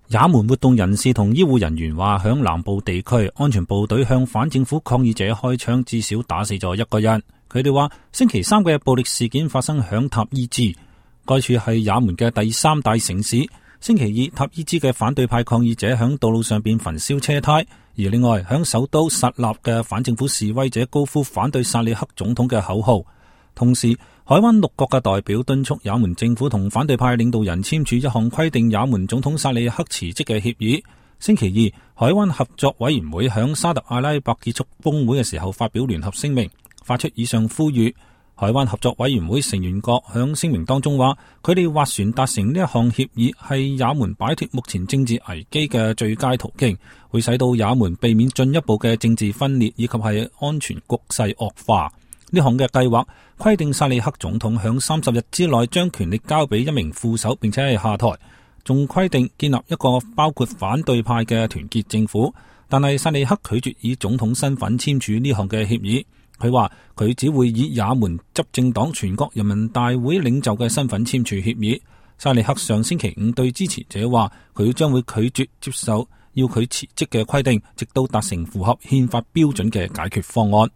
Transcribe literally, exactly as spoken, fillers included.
也門活動人士同醫護人員話，響南部地區安全部隊向反政府抗議者開槍，至少打死咗一個人。佢哋話星期三嘅暴力事件發生響塔伊茲，該處係也門嘅第三大城市。星期二，塔伊茲嘅反對派抗議者響道路上邊焚燒車胎，而另外響首都薩納嘅反政府示威者高呼反對薩利克總統嘅口號。同時，海灣六國嘅代表敦促也門政府同反對派領導人簽署一項規定也門總統薩利克辭職嘅協議。星期二，海灣合作委員會響沙特阿拉伯結束峰會嘅時候發表聯合聲明，發出以上呼籲。海灣合作委員會成員國響聲明當中話，佢哋斡旋達成呢一項協議係也門擺脫目前政治危機嘅最佳途徑，會使到也門避免進一步嘅政治分裂以及係安全局勢惡化。呢項嘅計劃規定薩利克總統響三十日之內將權力交俾一名副手，並且係下台，仲規定建立一個包括反對派嘅團結政府。但係薩利克拒絕以總統身份簽署呢項嘅協議，佢話佢只會以也門執政黨全國人民大會領袖嘅身份簽署協議。薩利克上星期五對支持者話，佢將會拒絕接受要佢辭職嘅規定，直到達成符合憲法標準嘅解決方案。